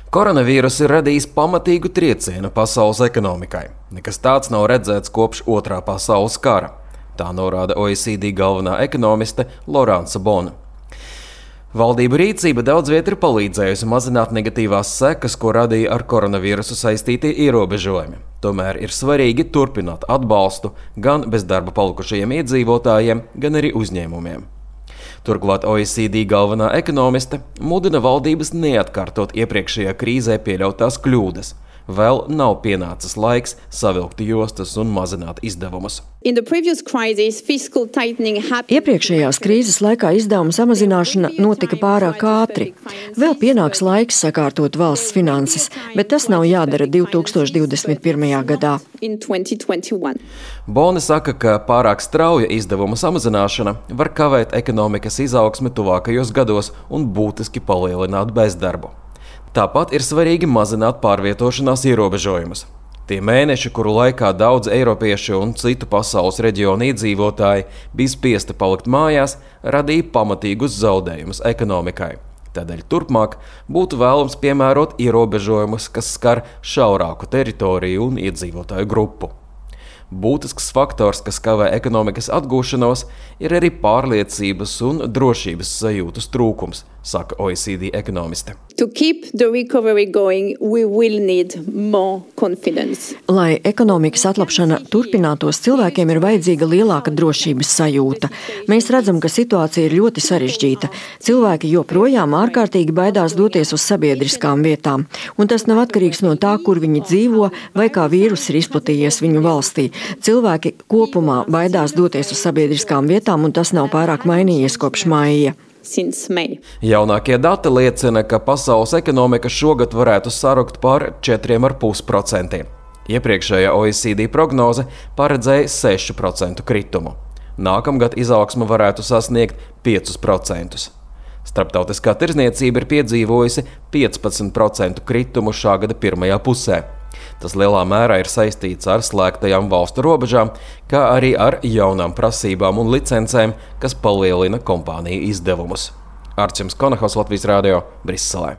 Koronavīruss ir radījis pamatīgu triecienu pasaules ekonomikai. Nekas tāds nav redzēts kopš Otrā pasaules kara. Tā norāda OECD galvenā ekonomiste Laurence Bone. Valdību rīcība daudz viet ir palīdzējusi mazināt negatīvās sekas, ko radīja ar koronavīrusu saistītie ierobežojumi. Tomēr ir svarīgi turpināt atbalstu gan bezdarba palikušajiem iedzīvotājiem, gan arī uzņēmumiem. Turklāt OECD galvenā ekonomiste mudina valdības neatkārtot iepriekšējā krīzē pieļautās kļūdas. Vēl nav pienācis laiks savilkt jostas un mazināt izdevumus. Iepriekšējās krīzes laikā izdevuma samazināšana notika pārāk ātri. Vēl pienāks laiks sakārtot valsts finanses, bet tas nav jādara 2021. gadā. Bone saka, ka pārāk strauja izdevuma samazināšana var kavēt ekonomikas izaugsmi tuvākajos gados un būtiski palielināt bezdarbu. Tāpat ir svarīgi mazināt pārvietošanās ierobežojumus. Tie mēneši, kuru laikā daudz eiropiešu un citu pasaules reģionu iedzīvotāji bija spiesti palikt mājās, radīja pamatīgus zaudējumus ekonomikai. Tādēļ turpmāk būtu vēlams piemērot ierobežojumus, kas skar šaurāku teritoriju un iedzīvotāju grupu. Būtisks faktors, kas kavē ekonomikas atgūšanos, ir arī pārliecības un drošības sajūtas trūkums, saka OECD ekonomiste. Lai ekonomikas atlapšana turpinātos, cilvēkiem ir vajadzīga lielāka drošības sajūta. Mēs redzam, ka situācija ir ļoti sarežģīta. Cilvēki joprojām ārkārtīgi baidās doties uz sabiedriskām vietām, un tas nav atkarīgs no tā, kur viņi dzīvo vai kā vīrus ir izplatījies viņu valstī. Cilvēki kopumā baidās doties uz sabiedriskām vietām, un tas nav pārāk mainījies kopš maija. Jaunākie dati liecina, ka pasaules ekonomika šogad varētu sarukt par 4,5%. Iepriekšējā OECD prognoze paredzēja 6% kritumu. Nākamgad izaugsme varētu sasniegt 5%. Starptautiskā tirdzniecība ir piedzīvojusi 15% kritumu šā gada pirmajā pusē. Tas lielā mērā ir saistīts ar slēgtajām valstu robežām, kā arī ar jaunām prasībām un licencēm, kas palielina kompāniju izdevumus. Arčuns Konahos, Latvijas Radio, Briselē.